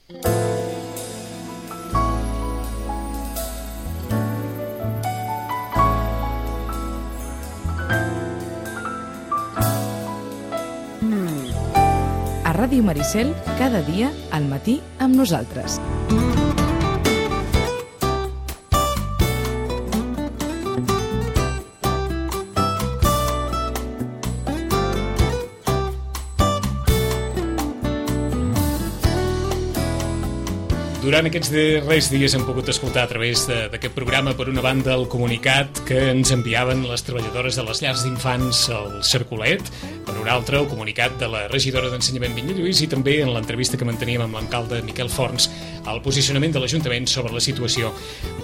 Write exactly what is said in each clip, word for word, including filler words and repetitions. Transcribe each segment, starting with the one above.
A Ràdio Maricel, cada dia al matí amb nosaltres. Durant aquests darrers dies hem pogut escoltar a través d'aquest programa, per una banda, el comunicat que ens enviaven les treballadores de les llars d'infants al Cercolet, per una altra, el comunicat de la regidora d'Ensenyament Vinya Lluís i també en l'entrevista que manteníem amb l'alcalde Miquel Forns el posicionament de l'Ajuntament sobre la situació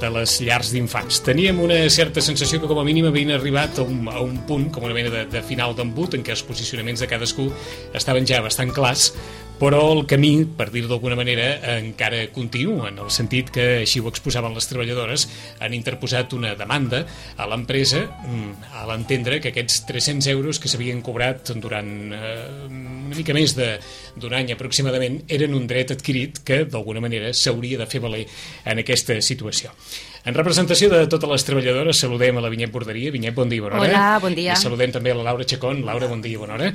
de les llars d'infants. Teníem una certa sensació que com a mínim havien arribat a un, a un punt, com una mena de, de final d'embut, en què els posicionaments de cadascú estaven ja bastant clars, però el camí, per dir-ho d'alguna manera, encara continua, en el sentit que, així ho exposaven les treballadores, han interposat una demanda a l'empresa a l'entendre que aquests tres-cents euros que s'havien cobrat durant eh, una mica més d'un any aproximadament eren un dret adquirit que, d'alguna manera, s'hauria de fer valer en aquesta situació. En representació de totes les treballadores, saludem a la Vinyet Borderia. Vinyet, bon dia, bona hora. Hola, bon dia. I saludem també a la Laura Chacón. Laura, bon dia, bona hora.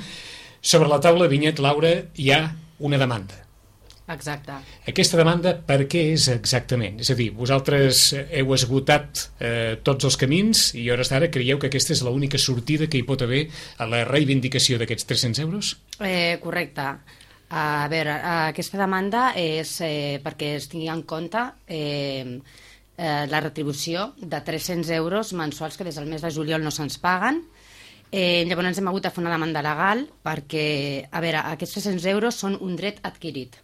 Sobre la taula, Vinyet, Laura, hi ha una demanda. Exacte. Aquesta demanda per què és exactament? És a dir, vosaltres heu esgotat eh, tots els camins i a hores d'ara creieu que aquesta és l'única sortida que hi pot haver a la reivindicació d'aquests tres-cents euros? Eh, correcte. A veure, aquesta demanda és eh, perquè es tingui en compte eh, eh, la retribució de tres-cents euros mensuals que des del mes de juliol no se'ns paguen. Eh, llavors ens hem hagut de fer una demanda legal perquè, a veure, aquests tres-cents euros són un dret adquirit.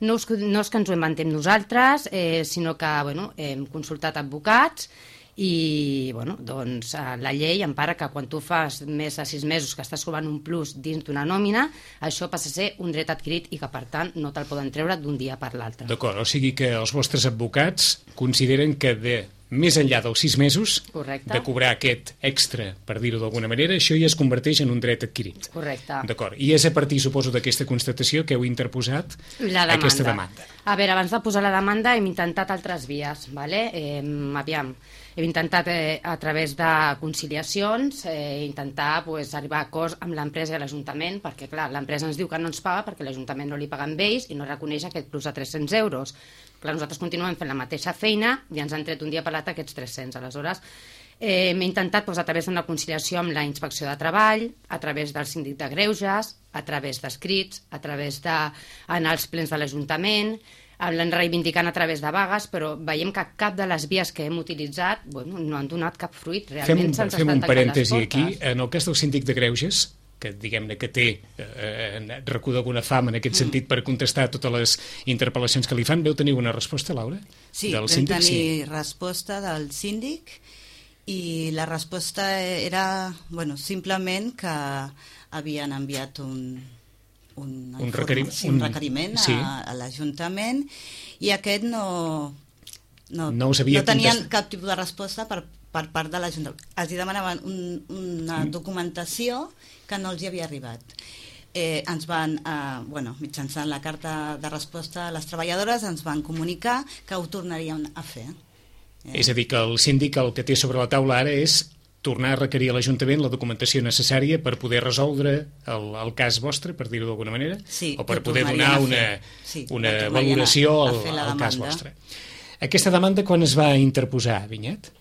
No és, no és que ens ho inventem nosaltres, eh, sinó que bueno, hem consultat advocats i bueno, doncs, la llei empara que quan tu fas més de sis mesos que estàs cobrant un plus dins d'una nòmina, això passa a ser un dret adquirit i que, per tant, no te'l poden treure d'un dia per l'altre. D'acord, o sigui que els vostres advocats consideren que de més enllà dels sis mesos, correcte, de cobrar aquest extra, per dir-ho d'alguna manera, això ja es converteix en un dret adquirit. Correcte. D'acord. I és a partir, suposo, d'aquesta constatació que heu interposat la demanda. aquesta demanda. A veure, abans de posar la demanda hem intentat altres vies, vale? eh, aviam, hem intentat eh, a través de conciliacions eh, intentar pues, arribar a acords amb l'empresa i l'Ajuntament, perquè clar, l'empresa ens diu que no ens paga perquè l'Ajuntament no li paga amb ells i no reconeix aquest plus de tres-cents euros. Clar, nosaltres continuem fent la mateixa feina i ens han tret un dia per l'altre aquests tres-cents. Aleshores, eh, hem intentat doncs, a través d'una conciliació amb la Inspecció de Treball, a través del Síndic de Greuges, a través d'escrits, a través d'anar als plens de l'Ajuntament, l'han reivindicant a través de vagues, però veiem que cap de les vies que hem utilitzat bueno, no han donat cap fruit. Realment se'ns estan tancant les portes. Fem un parèntesi aquí. En el cas del Síndic de Greuges, que diguem-ne que té eh, recu d'alguna fama en aquest sentit per contestar totes les interpel·lacions que li fan, veu tenir una resposta, Laura? Sí, del vam síndic? tenir sí. resposta del síndic i la resposta era bueno, simplement que havien enviat un, un, un, requerim, un, un requeriment sí. a, a l'Ajuntament i aquest no, no, no, us havia no tenien contestat. cap tipus de resposta per, per part de l'Ajuntament. Els demanaven un, una mm. documentació que no els hi havia arribat. Eh, ens van, eh, bueno, mitjançant la carta de resposta a les treballadores, ens van comunicar que ho tornaríem a fer. Eh? És a dir, que el síndic el que té sobre la taula ara és tornar a requerir a l'Ajuntament la documentació necessària per poder resoldre el, el cas vostre, per dir-ho d'alguna manera, sí, o per poder donar una, sí, una valoració a, a al, al cas vostre. Aquesta demanda quan es va interposar, Vinyet?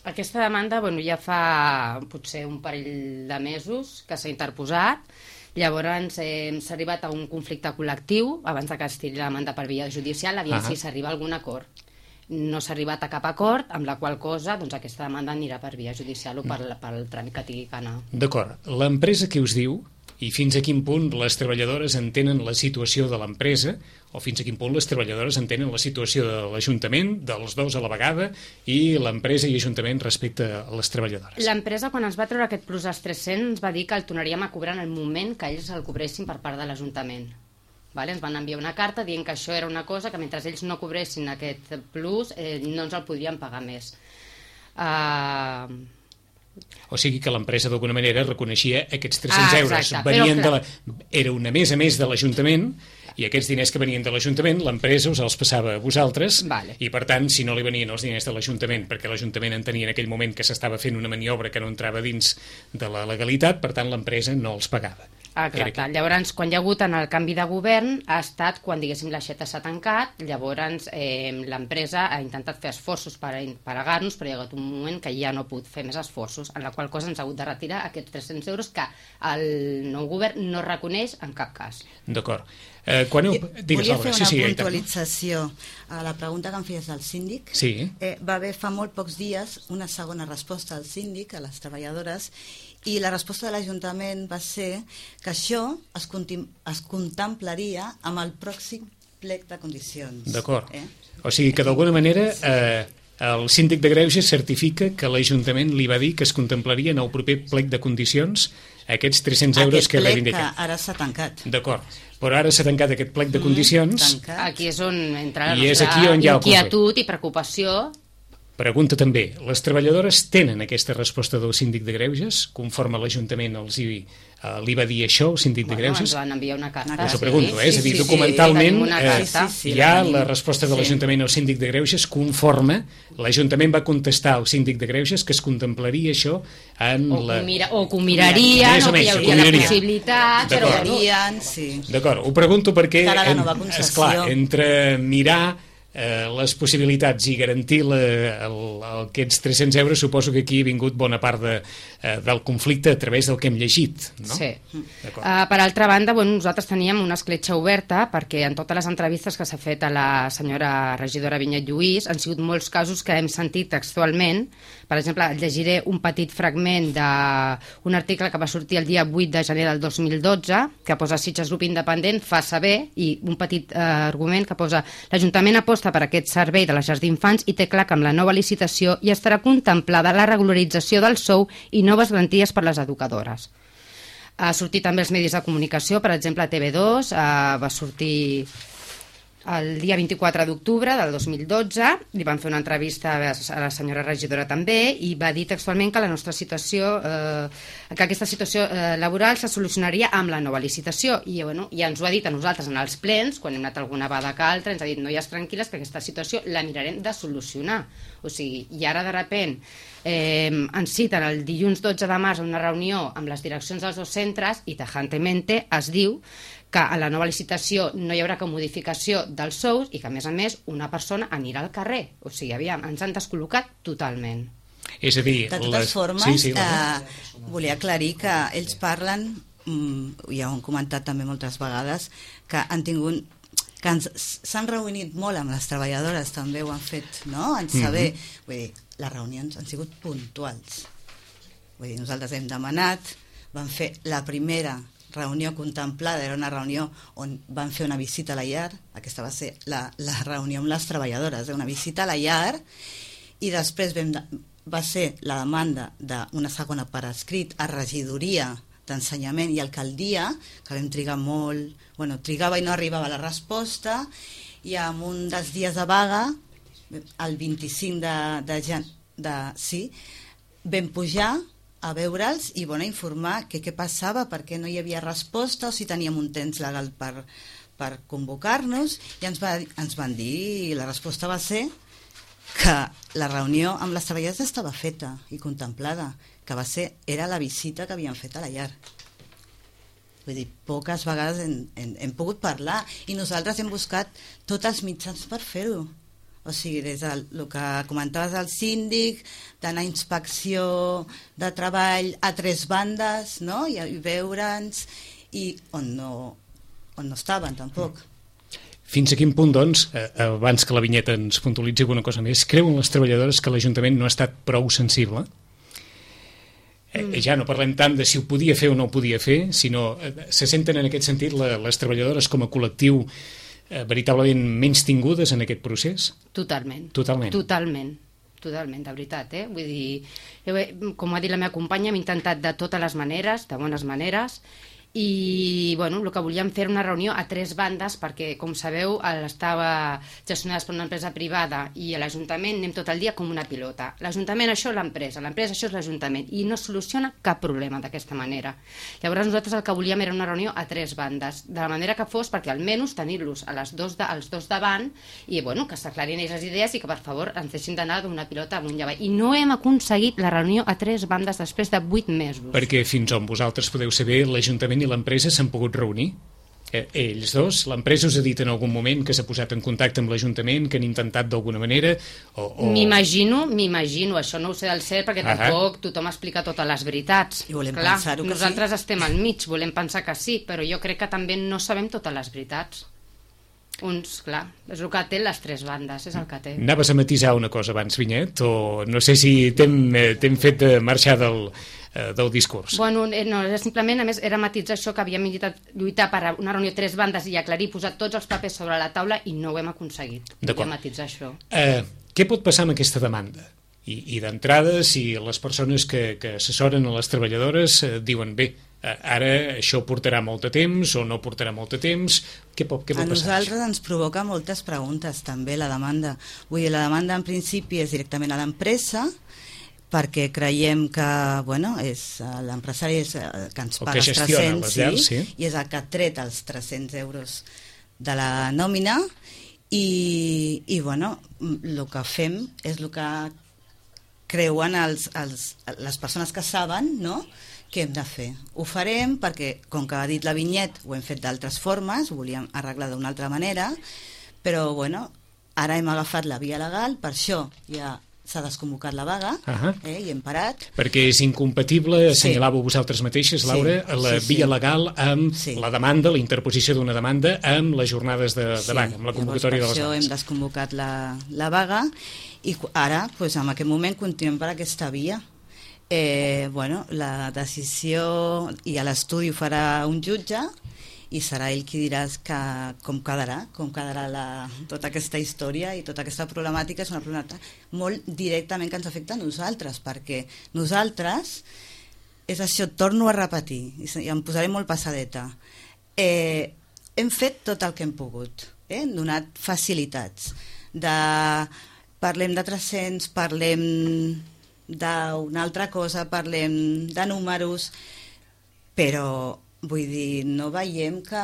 Aquesta demanda bueno, ja fa potser un parell de mesos que s'ha interposat. Llavors eh, s'ha arribat a un conflicte col·lectiu abans que es tiri la demanda per via judicial, aviam si s'arriba a algun acord. No s'ha arribat a cap acord, amb la qual cosa doncs, aquesta demanda anirà per via judicial o pel, pel tràmit que tingui que anar. D'acord. L'empresa què us diu i fins a quin punt les treballadores entenen la situació de l'empresa o fins a quin punt les treballadores entenen la situació de l'Ajuntament, dels dos a la vegada, i l'empresa i Ajuntament respecte a les treballadores? L'empresa, quan ens va treure aquest plus dels tres-cents, va dir que el tornaríem a cobrar en el moment que ells el cobressin per part de l'Ajuntament. Vale? Ens van enviar una carta dient que això era una cosa que mentre ells no cobressin aquest plus eh, no ens el podrien pagar més. Uh... O sigui que l'empresa d'alguna manera reconeixia aquests tres-cents ah, euros. Exacte, Venien però, de la... Era una més a més de l'Ajuntament I aquests diners que venien de l'Ajuntament, l'empresa us els passava a vosaltres, vale. I per tant, si no li venien els diners de l'Ajuntament, perquè l'Ajuntament entenia en aquell moment que s'estava fent una maniobra que no entrava dins de la legalitat, per tant l'empresa no els pagava. Exacte. Llavors, quan hi ha hagut en el canvi de govern, ha estat quan, diguéssim, l'aixeta s'ha tancat, llavors eh, l'empresa ha intentat fer esforços per pagar-nos, però hi ha hagut un moment que ja no ha pogut fer més esforços, en la qual cosa ens ha hagut de retirar aquests tres-cents euros que el nou govern no reconeix en cap cas. D'acord. Eh, quan heu... Digues, Volia Laura. fer una sí, sí, puntualització a la pregunta que em feies al síndic. Sí. Eh, va haver fa molt pocs dies una segona resposta al síndic, a les treballadores, i la resposta de l'Ajuntament va ser que això es, es contemplaria amb el pròxim plec de condicions. D'acord. Eh? O sigui que d'alguna manera eh, el síndic de Greuges certifica que l'Ajuntament li va dir que es contemplaria en el proper plec de condicions aquests tres-cents euros que reivindiquen. Aquest plec que ara s'ha tancat. D'acord. Però ara s'ha tancat aquest plec de condicions. Mm, aquí és on entra la I és nostra aquí on hi ha el inquietud i preocupació. Pregunta també, les treballadores tenen aquesta resposta del síndic de Greuges, conforme l'Ajuntament els hi, uh, li va dir això, el síndic Bueno, de Greuges? ens van enviar una carta. Us ho pregunto, eh? Sí, és a dir, sí, documentalment sí, eh, sí, sí, hi ha la tenim. la resposta de Sí. l'Ajuntament al síndic de Greuges conforme l'Ajuntament va contestar al síndic de Greuges que es contemplaria això en O, la... que mira, o que ho mirarien, Més o o que hi menys, hauria ho la mirarien. possibilitat, però D'acord. bueno, Mirarien, sí. D'acord, ho pregunto perquè... Cara a la en- nova concessió. esclar, entre mirar eh, les possibilitats i garantir la, el, aquests tres-cents euros, suposo que aquí ha vingut bona part de, eh, del conflicte a través del que hem llegit, no? sí. D'acord. Uh, per altra banda, bueno, nosaltres teníem una escletxa oberta perquè en totes les entrevistes que s'ha fet a la senyora regidora Vinyet Lluís han sigut molts casos que hem sentit textualment. Per exemple, llegiré un petit fragment d'un article que va sortir el dia vuit de gener del dos mil dotze, que posa Sitges Grup Independent fa saber, i un petit eh, argument que posa l'Ajuntament aposta per aquest servei de les llars d'infants i té clar que amb la nova licitació hi estarà contemplada la regularització del sou i noves garanties per les educadores. Ha sortit també als medis de comunicació, per exemple a T V dos, eh, va sortir el dia vint-i-quatre d'octubre del dos mil dotze, li van fer una entrevista a la senyora regidora també i va dir textualment que la nostra situació, eh, que aquesta situació eh, laboral se solucionaria amb la nova licitació i bueno, ja ens ho ha dit a nosaltres en els plens, quan hem anat alguna vegada que altra, ens ha dit noies tranquil·les que aquesta situació la mirarem de solucionar. O sigui, i ara de repent eh, ens citen el dilluns dotze de març a una reunió amb les direccions dels dos centres i tajantemente es diu que a la nova licitació no hi haurà cap modificació dels sous i que, a més a més, una persona anirà al carrer. O sigui, aviam, ens han descol·locat totalment. És a dir... De totes les... formes, sí, sí, eh, volia aclarir que ells parlen, mm, ja ho han comentat també moltes vegades, que han tingut que s'han reunit molt amb les treballadores, també ho han fet, no?, en saber, mm-hmm. vull dir, les reunions han sigut puntuals. Vull dir, nosaltres hem demanat, vam fer la primera reunió contemplada, era una reunió on van fer una visita a la llar, aquesta va ser la, la reunió amb les treballadores, una visita a la llar, i després vam de, va ser la demanda d'una segona per escrit a regidoria d'ensenyament i alcaldia, que vam trigar molt, bueno, trigava i no arribava la resposta, i amb un dels dies de vaga, el vint-i-cinc de, de, de, de sí, vam pujar a veure'ls i bueno, informar que què passava, perquè no hi havia resposta o si teníem un temps legal per, per convocar-nos, i ens, va, ens van dir, i la resposta va ser que la reunió amb les treballadores estava feta i contemplada, que va ser, era la visita que havien fet a la llar. Vull dir, poques vegades hem, hem, hem pogut parlar i nosaltres hem buscat tots els mitjans per fer-ho. O sigui, des del el que comentaves al síndic, d'anar a inspecció de treball a tres bandes, no?, i, i veure'ns, i on no, on no estaven, tampoc. Fins a quin punt, doncs, eh, abans que la Vinyeta ens puntualitzi alguna cosa més, creuen les treballadores que l'Ajuntament no ha estat prou sensible? Eh, mm. Ja no parlem tant de si ho podia fer o no ho podia fer, sinó eh, se senten en aquest sentit la, les treballadores com a col·lectiu eh, veritablement menys tingudes en aquest procés? Totalment. Totalment. Totalment. Totalment, de veritat, eh? Vull dir, jo, com ha dit la meva companya, hem intentat de totes les maneres, de bones maneres, i bueno, el que volíem fer era una reunió a tres bandes perquè, com sabeu, estava gestionada per una empresa privada i a l'Ajuntament anem tot el dia com una pilota. L'Ajuntament això és l'empresa, l'empresa això és l'Ajuntament i no soluciona cap problema d'aquesta manera. Llavors nosaltres el que volíem era una reunió a tres bandes, de la manera que fos perquè almenys tenir-los a les dos de, als dos davant i bueno, que s'aclarin ells les idees i que per favor ens deixin d'anar d'una pilota amunt i avall. I no hem aconseguit la reunió a tres bandes després de vuit mesos. Perquè fins on vosaltres podeu saber, l'Ajuntament i l'empresa s'han pogut reunir? Eh, ells dos? L'empresa us ha dit en algun moment que s'ha posat en contacte amb l'Ajuntament, que han intentat d'alguna manera? O, o... M'imagino, m'imagino, això no ho sé del cert perquè ah tampoc tothom explica totes les veritats. I volem Clar, pensar-ho que nosaltres sí. estem al mig, volem pensar que sí, però jo crec que també no sabem totes les veritats. Uns, clar, és el que té les tres bandes, és el que té. Anaves a matisar una cosa abans, Vinyet, o no sé si t'hem fet de marxar del, eh, del discurs? Bueno, no, simplement, a més, era matitzar això que havíem intentat lluitar per una reunió de tres bandes i aclarir, posar tots els papers sobre la taula i no ho hem aconseguit. D'acord. Volia matitzar això. Eh, què pot passar amb aquesta demanda? I, i d'entrada, si les persones que, que assessoren a les treballadores eh, diuen bé, ara això portarà molt de temps o no portarà molt de temps, què pot, què pot a passar? A nosaltres ens provoca moltes preguntes també la demanda. Vull dir, la demanda en principi és directament a l'empresa perquè creiem que bueno, és l'empresari que ens paga els tres-cents llars, sí, i és el que ha tret els tres-cents euros de la nòmina i, i bueno, el que fem és el que creuen els, els, les persones que saben, no?, què hem de fer. Ho farem perquè, com que ha dit la Vinyet, ho hem fet d'altres formes, ho volíem arreglar d'una altra manera, però bueno, ara hem agafat la via legal, per això ja s'ha desconvocat la vaga, uh-huh. eh, i hem parat. Perquè és incompatible, assenyalàveu sí. vosaltres mateixes, Laura, sí, la sí, via sí. legal amb sí. la demanda, la interposició d'una demanda, amb les jornades de, de sí. vaga, amb la convocatòria Llavors, de les vagues. Per això hem desconvocat la, la vaga i ara, pues, en aquest moment, continuem per aquesta via. Eh, bueno, la decisió i a l'estudi ho farà un jutge i serà ell qui dirà que, com quedarà, com quedarà la, tota aquesta història i tota aquesta problemàtica. És una problemàtica molt directament que ens afecta a nosaltres, perquè nosaltres, és això, torno a repetir, i em posaré molt passadeta, eh, hem fet tot el que hem pogut, eh? Hem donat facilitats. De, parlem de tres-cents, parlem d'una altra cosa, parlem de números, però vull dir, no veiem que,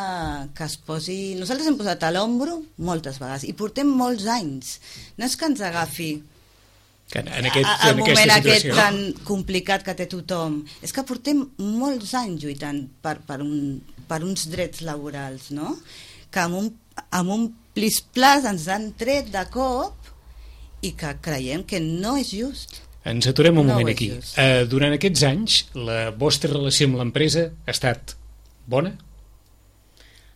que es posi... Nosaltres hem posat a l'ombro moltes vegades i portem molts anys. No és que ens agafi que en aquest, a, el en moment aquest situació. tan complicat que té tothom. És que portem molts anys lluitant per, per, un, per uns drets laborals, no? Que amb un, amb un plis-plas ens han tret de cop i que creiem que no és just. Ens aturem un no moment aquí. Uh, durant aquests anys, la vostra relació amb l'empresa ha estat bona?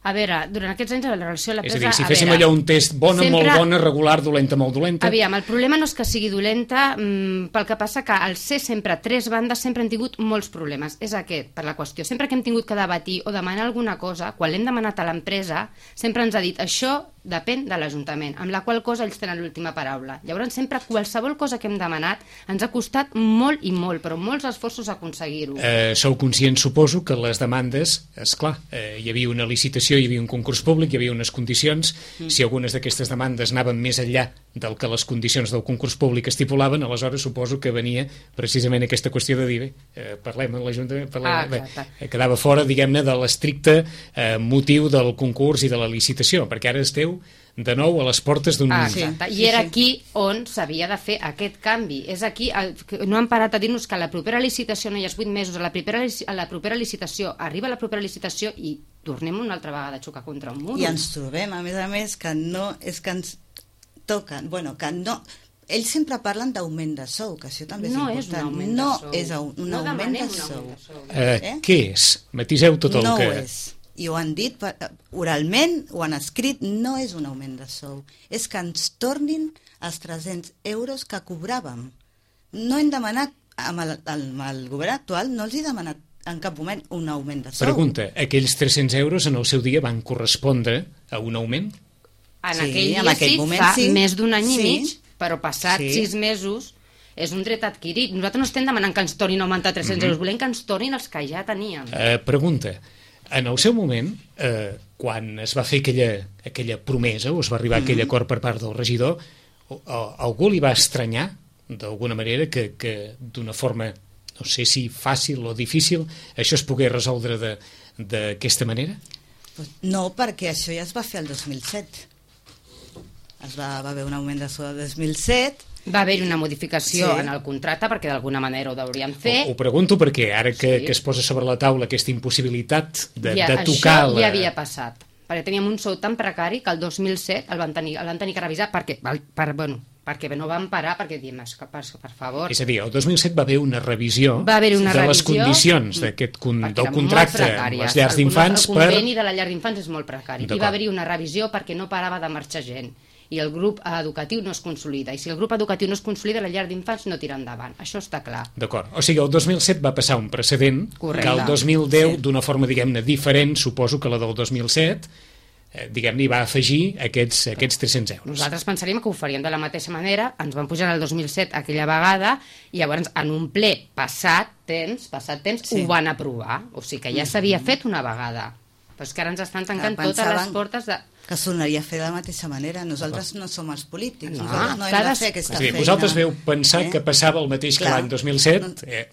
A veure, durant aquests anys la relació amb l'empresa... És a dir, si féssim allò un test bona, sempre... molt bona, regular, dolenta, molt dolenta... Aviam, el problema no és que sigui dolenta, mmm, pel que passa que al ser sempre tres bandes sempre han tingut molts problemes. És aquest, per la qüestió. Sempre que hem tingut que debatir o demanar alguna cosa, quan l'hem demanat a l'empresa, sempre ens ha dit això depèn de l'Ajuntament, amb la qual cosa ells tenen l'última paraula. Llavors, sempre qualsevol cosa que hem demanat ens ha costat molt i molt, però molts esforços a aconseguir-ho. Eh, sou conscients, suposo, que les demandes, esclar, eh, hi havia una licitació, hi havia un concurs públic, hi havia unes condicions, mm. si algunes d'aquestes demandes anaven més enllà del que les condicions del concurs públic estipulaven, aleshores suposo que venia precisament aquesta qüestió de dir, bé, eh, parlem amb l'Ajuntament, parlem, ah, bé, eh, quedava fora, diguem-ne, de l'estricte eh, motiu del concurs i de la licitació, perquè ara esteu de nou a les portes d'un... Ah, exacte. I era aquí on s'havia de fer aquest canvi. És aquí, el, no han parat a dir-nos que a la propera licitació no hi ha vuit mesos, a la propera, a la propera licitació, arriba la propera licitació i tornem una altra vegada a xocar contra un mur. I ens trobem, a més a més, que no és que ens toquen, bueno, que no... Ells sempre parlen d'augment de sou, que això també és no important. És un augment no de sou. és un, un no augment de un sou. De sou. Eh, eh? Què és? Matiseu tot el no que... No ho és. I ho han dit oralment, ho han escrit, no és un augment de sou. És que ens tornin els tres-cents euros que cobràvem. No hem demanat, amb el, amb el govern actual, no els he demanat en cap moment un augment de sou. Pregunta, aquells tres-cents euros en el seu dia van correspondre a un augment? En sí, aquell dia en aquell sí, moment, fa sí. més d'un any sí. i mig, però passat sí. sis mesos és un dret adquirit. Nosaltres no estem demanant que ens tornin a augmentar tres-cents mm-hmm. euros, volem que ens tornin els que ja teníem. Uh, pregunta, en el seu moment, eh, quan es va fer aquella, aquella promesa, o es va arribar a aquell acord per part del regidor, o, o, algú li va estranyar, d'alguna manera, que, que d'una forma, no sé si fàcil o difícil, això es pogués resoldre d'aquesta manera? No, perquè això ja es va fer el dos mil set. Es va, va haver un augment de sou del dos mil set. Va haver-hi una modificació Sí. en el contracte perquè d'alguna manera ho deurien fer. Ho, ho pregunto perquè ara que, Sí. que es posa sobre la taula aquesta impossibilitat de, Ja, de tocar... això la... ja havia passat, perquè teníem un sou tan precari que el dos mil set el van tenir, el van tenir que revisar perquè, per, bueno, perquè no van parar, perquè diem, per, per favor... És a dir, el dos mil set va haver una revisió Va haver una de les revisió, condicions d'aquest con, perquè del eren contracte molt amb precàries. les llars El- d'infants El per... conveni de la llar d'infants és molt precari. I D'acord. va haver-hi una revisió perquè no parava de marxar gent. I el grup educatiu no es consolida. I si el grup educatiu no es consolida, la llar d'infants no tira endavant. Això està clar. D'acord. O sigui, el dos mil set va passar un precedent Correcte. que el dos mil deu, Sí. d'una forma, diguem-ne, diferent, suposo que la del dos mil set, eh, diguem-ne, hi va afegir aquests, aquests tres-cents euros. Nosaltres pensaríem que ho faríem de la mateixa manera, ens van pujar el dos mil set aquella vegada i llavors en un ple passat temps, passat temps Sí. ho van aprovar, o sigui que ja s'havia fet una vegada, però és que ara ens estan tancant Clar, totes les pensaven portes de... que sonaria fer de la mateixa manera. Nosaltres no som els polítics, No, nosaltres no hem cada- de fer aquesta És a dir, feina. vosaltres veu pensar Eh? que passava el mateix que Clar. l'any dos mil set... Eh,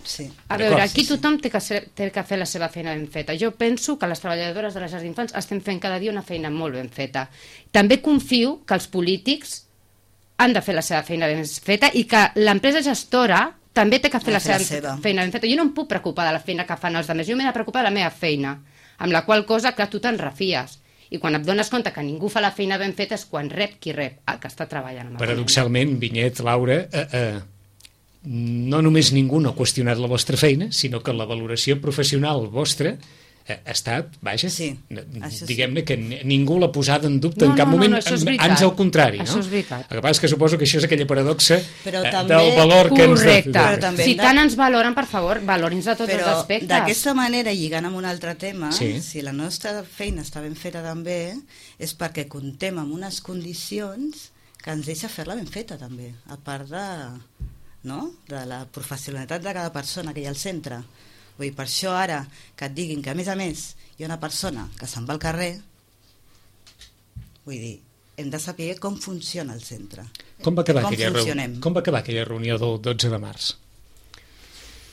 Sí. A D'acord, veure, aquí sí, sí. tothom té que, ser, té que fer la seva feina ben feta. Jo penso que les treballadores de les llars d'infants estem fent cada dia una feina molt ben feta. També confio que els polítics han de fer la seva feina ben feta i que l'empresa gestora també té que fer Ha la de fer seva, la seva. feina ben feta. Jo no em puc preocupar de la feina que fan els altres, jo m'he de preocupar de la meva feina, amb la qual cosa que tu te'n refies. I quan et dones compte que ningú fa la feina ben feta és quan rep qui rep, el que està treballant. Amb el paradoxalment, Vinyet, Laura, eh, eh, no només ningú no ha qüestionat la vostra feina, sinó que la valoració professional vostra ha estat, vaja, Sí, n- això sí. diguem-ne que ni- ningú l'ha posada en dubte No, en cap no, no, moment, no, això és veritat. ans al contrari, no? Això és veritat. El que passa és que suposo que això és aquella paradoxa Però eh, també- del valor que ens... Correcte. Però també Si hem de- tant ens valoren, per favor, valorin-nos de tots els Però aspectes. d'aquesta manera, lligant amb un altre tema, Sí. si la nostra feina està ben feta també, és perquè contem amb unes condicions que ens deixa fer-la ben feta també, a part de, no? de la professionalitat de cada persona que hi ha al centre. Vull dir, per això ara que et diguin que a més a més hi ha una persona que se'n va al carrer, vull dir, hem de saber com funciona el centre. Com va acabar, Com aquella, reu... funcionem. com va acabar aquella reunió del dotze de març?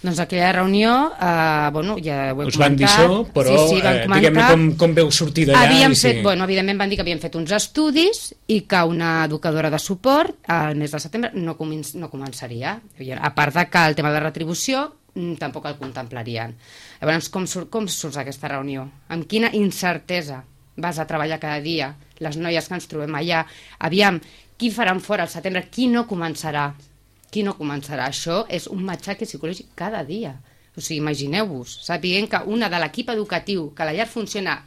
Doncs aquella reunió, eh, bueno, ja ho he Us van dir comentat. això, però sí, sí, van eh, diguem-ne comentar. com, com veu sortir d'allà? Havíem i fet, si- bueno, evidentment van dir que havien fet uns estudis i que una educadora de suport al mes de setembre no, començ, no començaria. A part de que el tema de la retribució mm, tampoc el contemplarien. Llavors, com, surt, com surts aquesta reunió? Amb quina incertesa vas a treballar cada dia? Les noies que ens trobem allà. Aviam, qui faran fora al setembre? Qui no començarà? Qui no començarà? Això és un matxaque psicològic cada dia. O sigui, imagineu-vos, sapiguent que una de l'equip educatiu, que la llar funciona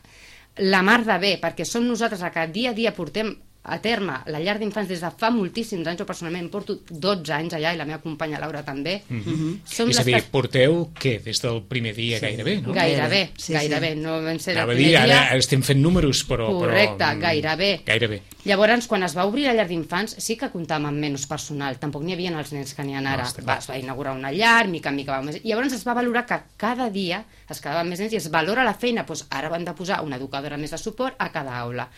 la mar de bé, perquè som nosaltres a que dia a dia portem a terme la llar d'infants des de fa moltíssims anys. Jo personalment porto dotze anys allà i la meva companya Laura també. Mhm. Som És a les dir, que- porteu, què, des del primer dia Sí. gairebé, no? Gairebé, Sí, sí. gairebé. No vam ser el Anava a primer dir, ara, dia. ara estem fent números, però... Correcte, però, mm, gairebé. Gairebé. Llavors, quan es va obrir la llar d'infants, sí que comptàvem amb menys personal. Tampoc n'hi havia els nens que n'hi ha ara. No, està clar. Va, es va inaugurar una llar, mica en mica va més. I llavors es va valorar que cada dia es quedaven més nens i es valora la feina. Doncs ara van de posar una educadora més de suport a cada aula.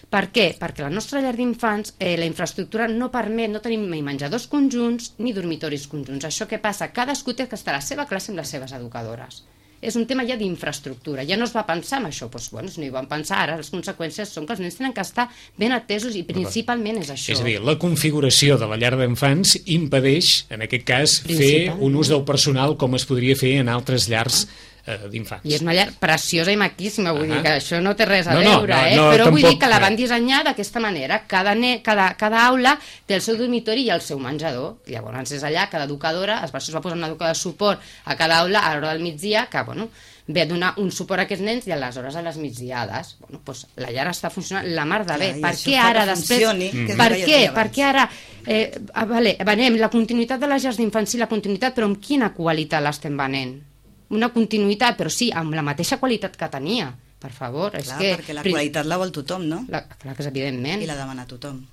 Per què? Perquè la nostra llar d'infants, eh, la infraestructura no permet, no tenim ni menjadors conjunts ni dormitoris conjunts. Això què passa? Cadascú té que estar a la seva classe amb les seves educadores. És un tema ja d'infraestructura. Ja no es va pensar en això. Doncs, bueno, si no hi van pensar, ara les conseqüències són que els nens tenen que estar ben atesos i principalment és això. És a dir, la configuració de la llar d'infants impedeix, en aquest cas, fer Principalment. un ús del personal com es podria fer en altres llars eh, d'infants. I és una llar preciosa i maquíssima, vull Ah. dir que això no té res a No, no, veure, no, eh? no, Però vull tampoc, dir que la van eh. dissenyar d'aquesta manera. Cada, ne, cada, cada aula té el seu dormitori i el seu menjador. Llavors és allà, cada educadora, es va, es va posar una educadora de suport a cada aula a l'hora del migdia, que, bueno, ve a donar un suport a aquests nens i aleshores a les migdiades. Bueno, doncs la llar està funcionant la mar de bé. Clar, i Per això què fa ara que després... funcioni, que és el Per que jo què? deia Per abans. què ara... Eh, ah, vale, venem la continuïtat de les llars d'infants, sí, la continuïtat, però amb quina qualitat l'estem venent? Una continuïtat, però sí, amb la mateixa qualitat que tenia. Per favor, és Clar, que... perquè la qualitat la vol tothom, no? La, clar que és evidentment. I la demana tothom.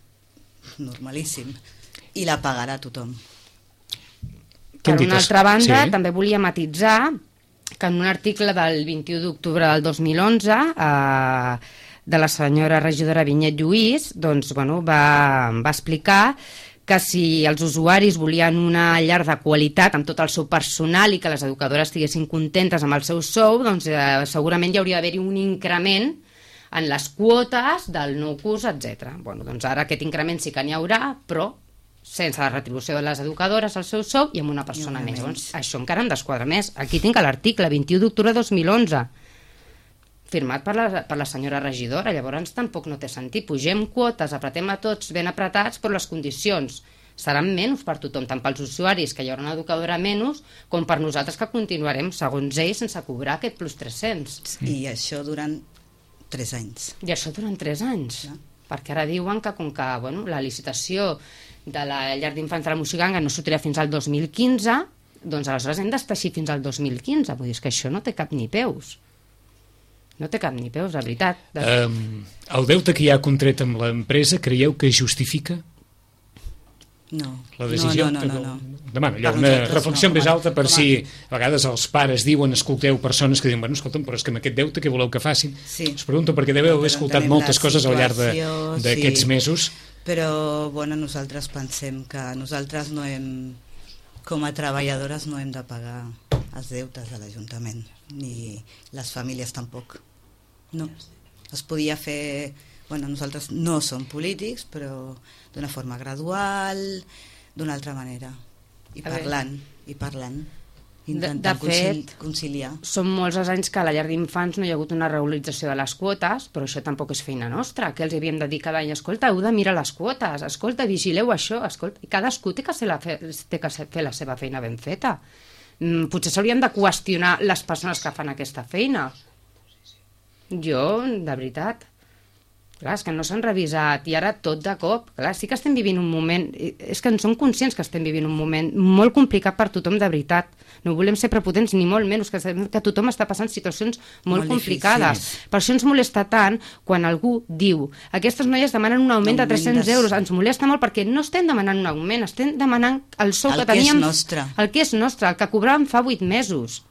Normalíssim. I la pagarà tothom. Què Per han dit una els- altra banda, Sí. també volia matitzar que en un article del vint-i-u d'octubre del dos mil onze eh, de la senyora regidora Vinyet Lluís, doncs, bueno, va, va explicar que si els usuaris volien una llar de qualitat amb tot el seu personal i que les educadores estiguessin contentes amb el seu sou, doncs eh, segurament hi hauria d'haver-hi un increment en les quotes del nou curs, etcètera. Bueno, doncs ara aquest increment sí que n'hi haurà, però sense la retribució de les educadores al seu sou i amb una persona més. Doncs això encara em desquadra més. Aquí tinc l'article vint-i-u d'octubre de dos mil onze, firmat per la, per la senyora regidora. Llavors tampoc no té sentit. Pugem quotes, apretem a tots ben apretats, però les condicions seran menys per tothom, tant pels usuaris, que hi haurà una educadora menys, com per nosaltres, que continuarem, segons ells, sense cobrar aquest plus tres-cents. I això durant tres anys. I això durant tres anys. Ja. Perquè ara diuen que com que bueno, la licitació de la llar d'infants de la Moixiganga no sortirà fins al dos mil quinze, doncs aleshores hem d'estar així fins al dos mil quinze. Vull dir, que això no té cap ni peus. No té cap ni peus, de veritat. De... Um, el deute que hi ha contret amb l'empresa, creieu que justifica no. la decisió? No, no, no. no, no. Demano allò, una reflexió no, més alta per si a vegades els pares diuen, escolteu persones que diuen, bueno, escolta'm, però és que amb aquest deute què voleu que facin? Sí. Us pregunto perquè deveu haver escoltat moltes coses al llarg d'aquests sí. mesos. Però, bueno, nosaltres pensem que nosaltres no hem, com a treballadores, no hem de pagar els deutes de l'Ajuntament, ni les famílies tampoc. No. Es podia fer... Bueno, nosaltres no som polítics, però d'una forma gradual, d'una altra manera. I parlant, i parlant. Intentant de, de fet, conciliar. Són molts els anys que a la llar d'infants no hi ha hagut una regularització de les quotes, però això tampoc és feina nostra, que els havíem de dir cada any, escolta, heu de mirar les quotes, escolta, vigileu això, escolta, i cadascú té que, ser la fe, té que fer la seva feina ben feta. Mm, potser s'haurien de qüestionar les persones que fan aquesta feina. Jo, de veritat... Clar, és que no s'han revisat i ara tot de cop. Clar, sí que estem vivint un moment... És que en som conscients que estem vivint un moment molt complicat per tothom, de veritat. No volem ser prepotents ni molt menys, que, que tothom està passant situacions molt, molt complicades. Difícils. Per això ens molesta tant quan algú diu aquestes noies demanen un augment de tres-cents euros. Ens molesta molt perquè no estem demanant un augment, estem demanant el sou el que teníem... El que és nostre. El que és nostre, el que cobràvem fa vuit mesos.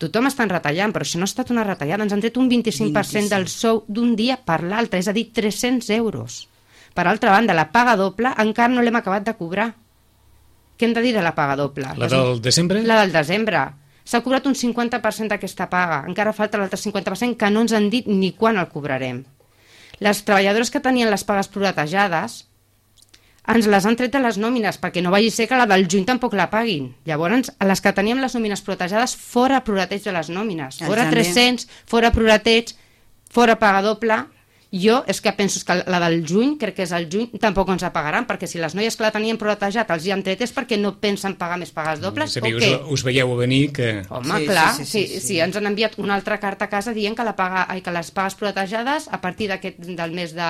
Tothom està retallant, però això no ha estat una retallada. Ens han tret un vint-i-cinc per cent del sou d'un dia per l'altre, és a dir, tres-cents euros. Per altra banda, la paga doble encara no l'hem acabat de cobrar. Què hem de dir de la paga doble? La del desembre? La del desembre. S'ha cobrat un cinquanta per cent d'aquesta paga. Encara falta l'altre cinquanta per cent que no ens han dit ni quan el cobrarem. Les treballadores que tenien les pagues proratejades ens les han tret de les nòmines, perquè no vagi ser que la del juny tampoc la paguin. Llavors, les que teníem les nòmines proratejades, fora prorateig de les nòmines. Fora tres-cents, fora prorateig, fora paga doble. Jo és que penso que la del juny, crec que és el juny, tampoc ens la pagaran, perquè si les noies que la tenien proratejat els hi han tret és perquè no pensen pagar més pagues dobles, o què? Us, us veieu a venir que... Home, sí, clar, sí, sí, sí, sí, sí. Si ens han enviat una altra carta a casa dient que, la paga, ai, que les pagues proratejades a partir d'aquest del mes de,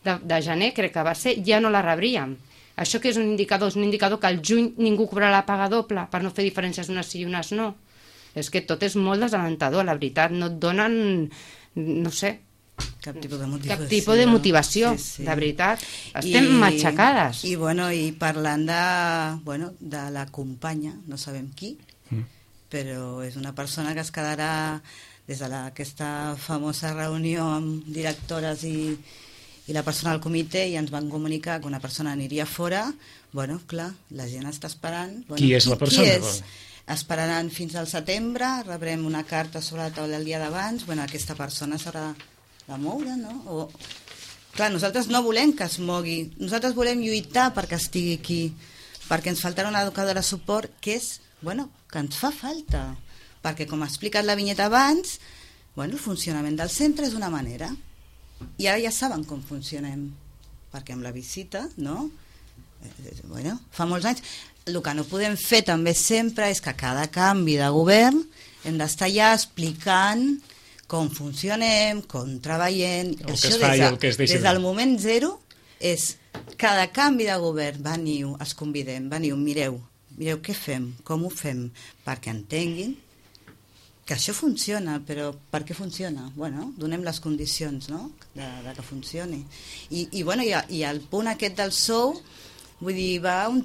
de, de gener, crec que va ser, ja no la rebríem. Això que és un indicador? És un indicador que al juny ningú cobrarà la paga doble per no fer diferències d'unes sí i unes no. És que tot és molt desalentador, la veritat. No et donen, no sé, cap tipus de motivació, cap tipus de, motivació sí, sí. De veritat. Estem I, matxacades. I, bueno, i parlant de, bueno, de la companya, no sabem qui, mm. però és una persona que es quedarà des de la, aquesta famosa reunió amb directores i i la persona del comitè i ens van comunicar que una persona aniria fora. Bueno, clar, la gent està esperant. Bueno, qui és la persona? Qui és? Esperaran fins al setembre, rebrem una carta sobre la taula el dia d'abans. Bueno, aquesta persona s'haurà de moure, no? O... Clar, nosaltres no volem que es mogui. Nosaltres volem lluitar perquè estigui aquí, perquè ens faltarà una educadora de suport que és, bueno, que ens fa falta. Perquè, com ha explicat la Vinyeta abans, bueno, el funcionament del centre és una manera. I ara ja saben com funcionem, perquè amb la visita, no? Eh, bueno, fa molts anys. El que no podem fer també sempre és que cada canvi de govern hem d'estar ja explicant com funcionem, com treballem. El Això que es fa i el que es deixa. Des del moment zero és cada canvi de govern, veniu, els convidem, veniu, mireu, mireu què fem, com ho fem, perquè entenguin que això funciona, però per què funciona? Bueno, donem les condicions, no?, de, de que funcioni. I, i, bueno, i, i el punt aquest del sou, vull dir, va un,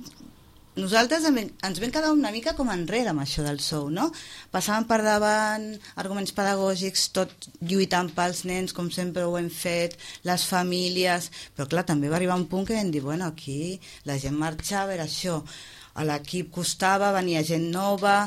nosaltres ens vam quedar una mica com enrere amb això del sou, no? Passàvem per davant arguments pedagògics, tot lluitant pels nens, com sempre ho hem fet, les famílies, però clar, també va arribar un punt que vam dir, bueno, aquí la gent marxava, era això, a l'equip costava, venia gent nova,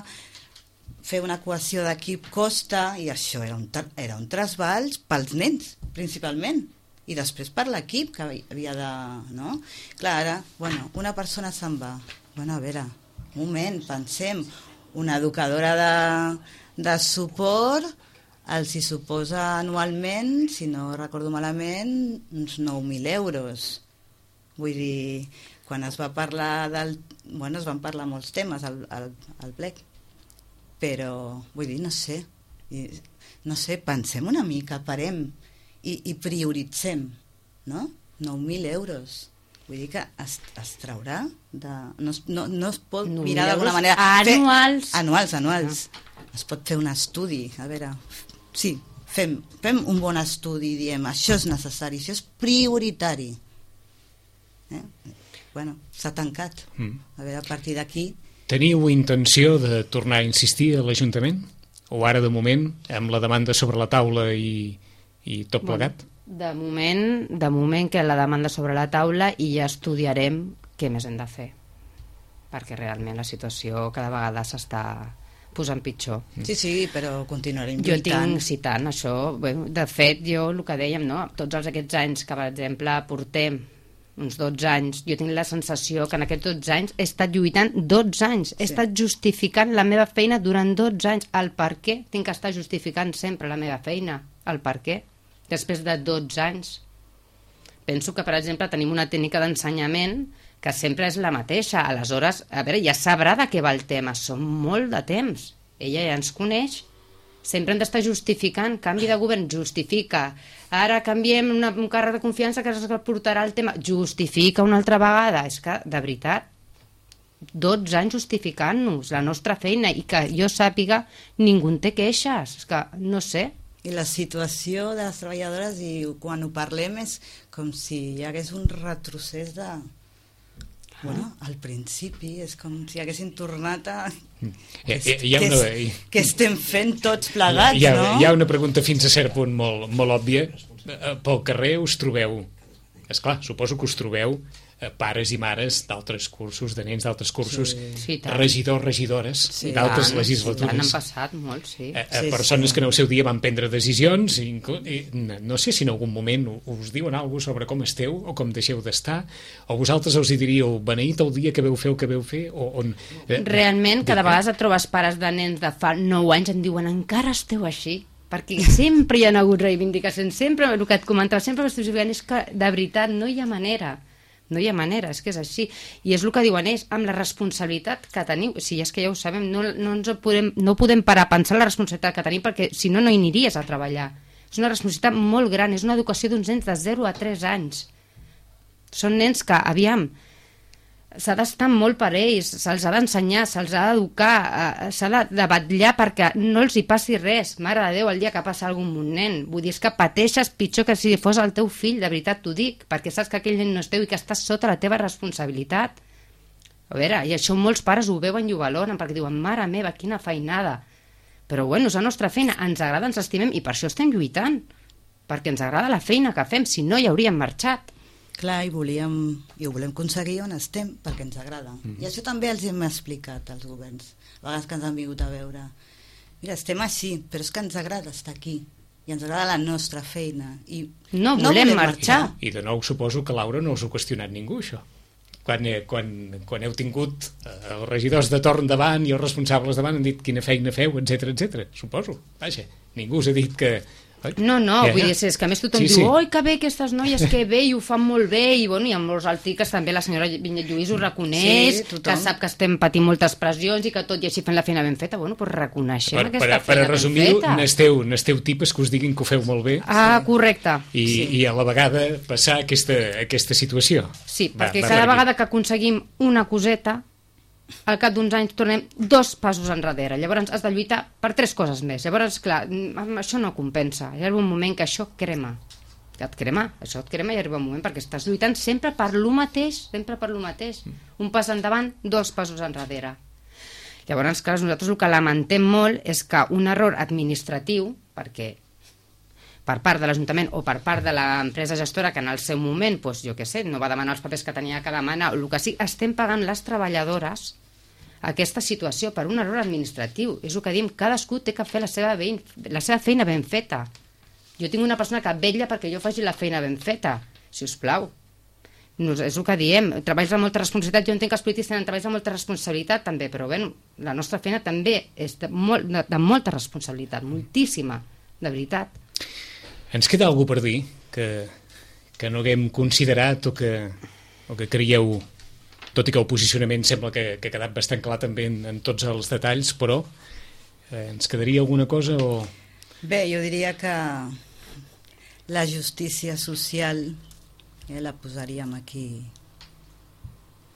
fer una cohesió d'equip costa, i això era un, era un trasbals pels nens, principalment. I després per l'equip que havia de... No? Clar, ara, bueno, una persona se'n va. Bueno, a veure, un moment, pensem, una educadora de, de suport els hi suposa anualment, si no recordo malament, uns nou mil euros. Vull dir, quan es va parlar del... Bueno, es van parlar molts temes al, al, al plec, però, vull dir, no sé, no sé, pensem una mica, parem, I, i prioritzem, no? nou mil euros. Vull dir que es, es traurà de... No, no, no es pot mirar d'alguna manera... Anuals. Fer, anuals, anuals. Ah. Es pot fer un estudi, a veure... Sí, fem, fem un bon estudi i diem, això és necessari, això és prioritari. Eh? Bueno, s'ha tancat. Mm. A veure, a partir d'aquí... Teniu intenció de tornar a insistir a l'Ajuntament? O ara, de moment, amb la demanda sobre la taula i... i tot plegat? Bueno, de moment, de moment que la demanda sobre la taula i ja estudiarem què més hem de fer, perquè realment la situació cada vegada s'està posant pitjor. Sí, sí, però continuarem jo lluitant. tinc citant això, bueno, de fet jo el que dèiem, no? Tots els aquests anys que per exemple portem uns dotze anys, jo tinc la sensació que en aquests dotze anys he estat lluitant dotze anys, he sí. estat justificant la meva feina durant dotze anys, el per què tinc que estar justificant sempre la meva feina, el per què després de dotze anys. Penso que, per exemple, tenim una tècnica d'ensenyament que sempre és la mateixa. Aleshores, a veure, ja sabrà de què va el tema. Som molt de temps. Ella ja ens coneix. Sempre hem d'estar justificant. Canvi de govern, justifica. Ara canviem una, un càrrec de confiança que es portarà el tema. Justifica una altra vegada. És que, de veritat, dotze anys justificant-nos la nostra feina i que jo sàpiga ningú en té queixes. És que, no sé... I la situació de les treballadores, i quan ho parlem, és com si hi hagués un retrocés de... Bueno, al principi és com si haguessin tornat a... Hi ha, hi ha una... Què estem fent tots plegats, hi ha, no? Hi ha una pregunta fins a cert punt molt, molt òbvia. Pel carrer us trobeu... Esclar, suposo que us trobeu pares i mares d'altres cursos, de nens d'altres cursos, sí. Sí, regidors, regidores, sí, d'altres legislatures. Han passat molt, sí. A, a sí, persones sí. que en el seu dia van prendre decisions, i, i no sé si en algun moment us diuen alguna cosa sobre com esteu o com deixeu d'estar, o vosaltres els hi diríeu beneït el dia que veu fer el que veu fer, o on... Eh, Realment, cada vegada et trobes pares de nens de fa nou anys en diuen encara esteu així, perquè sempre hi ha hagut reivindicacions, sempre, el que et comentava, sempre és que de veritat no hi ha manera. No hi ha manera, és que és així. I és el que diuen ells, amb la responsabilitat que teniu. Si és que ja ho sabem, no, no, ens podem, no podem parar a pensar la responsabilitat que tenim, perquè si no, no hi aniries a treballar. És una responsabilitat molt gran, és una educació d'uns nens de zero a tres anys. Són nens que, aviam, s'ha d'estar molt per ells, se'ls ha d'ensenyar, se'ls ha d'educar, s'ha de vetllar perquè no els hi passi res. Mare de Déu, el dia que passa alguna cosa amb un nen. Vull dir, és que pateixes pitjor que si fos el teu fill, de veritat t'ho dic, perquè saps que aquell nen no és teu i que estàs sota la teva responsabilitat. A veure, i això molts pares ho veuen i ho valoren, perquè diuen, mare meva, quina feinada. Però bueno, és la nostra feina, ens agrada, ens estimem, i per això estem lluitant, perquè ens agrada la feina que fem, si no hi hauríem marxat. Clar, i volíem, i ho volem aconseguir on estem, perquè ens agrada. Mm-hmm. I això també els hem explicat als governs, a vegades que ens han vingut a veure. Mira, estem així, però és que ens agrada estar aquí, i ens agrada la nostra feina. I no, no volem, volem marxar. marxar. I de nou suposo que, Laura, no us ho ha qüestionat ningú, això. Quan, eh, quan, quan heu tingut eh, els regidors de torn davant i els responsables davant han dit quina feina feu, etcètera, etcètera. Suposo, vaja, ningú us ha dit que... No, no, ja, vull dir, és que a més tothom sí, diu sí. Oi, que bé aquestes noies, que bé, i ho fan molt bé, i bueno, i amb molts articles també la senyora Vinyet Lluís ho reconeix, sí, que sap que estem patint moltes pressions i que tot i així fent la feina ben feta, bueno, doncs reconeixem per, aquesta per, feina per ben feta. N'esteu, n'esteu tipes que us diguin que ho feu molt bé. Ah, sí. Correcte. I, sí. I a la vegada passar aquesta, aquesta situació. Sí, va, perquè va, cada vegada que aconseguim una coseta, al cap d'uns anys tornem dos passos enrere. Llavors has de lluitar per tres coses més. Llavors, clar, això no compensa. Hi ha un moment que això crema. que et crema, això et crema i arriba un moment perquè estàs lluitant sempre per lo mateix, sempre per lo mateix. Un pas endavant, dos passos enrere. Llavors, clar, nosaltres el que lamentem molt és que un error administratiu, perquè per part de l'Ajuntament o per part de l'empresa gestora que en el seu moment, doncs, jo què sé, no va demanar els papers que tenia que demanar, el que sí, estem pagant les treballadores aquesta situació per un error administratiu. És el que diem, cadascú té que fer la seva, ben, la seva feina ben feta. Jo tinc una persona que vetlla perquè jo faci la feina ben feta, si us plau. No, és el que diem, treballs de molta responsabilitat, jo entenc que els polítics tenen treballs de molta responsabilitat també, però bé, la nostra feina també és de, molt, de, de molta responsabilitat, moltíssima, de veritat. Ens queda alguna per dir que, que no haguem considerat o que, o que creieu, tot i que el posicionament sembla que, que ha quedat bastant clar també en, en tots els detalls, però eh, ens quedaria alguna cosa o... Bé, jo diria que la justícia social eh, la posaríem aquí,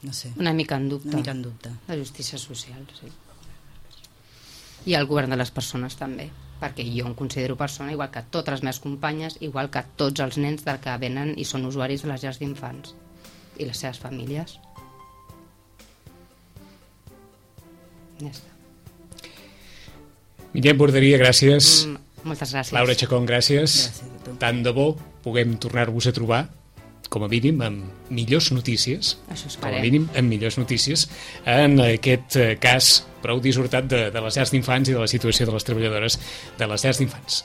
no sé, una mica en dubte. Una mica en dubte. La justícia social, sí. I el govern de les persones també, perquè jo em considero persona igual que totes les meves companyes, igual que tots els nens del que venen i són usuaris de les llars d'infants i les seves famílies. Ja està. Mireia Borderia, gràcies. Mm, moltes gràcies. Laura Chacón, gràcies. Gràcies a tu. Tant de bo puguem tornar-vos a trobar, com a mínim, amb millors notícies, Això com a esperem. mínim, amb millors notícies, en aquest eh, cas prou dissortat de, de les llars d'infants i de la situació de les treballadores de les llars d'infants.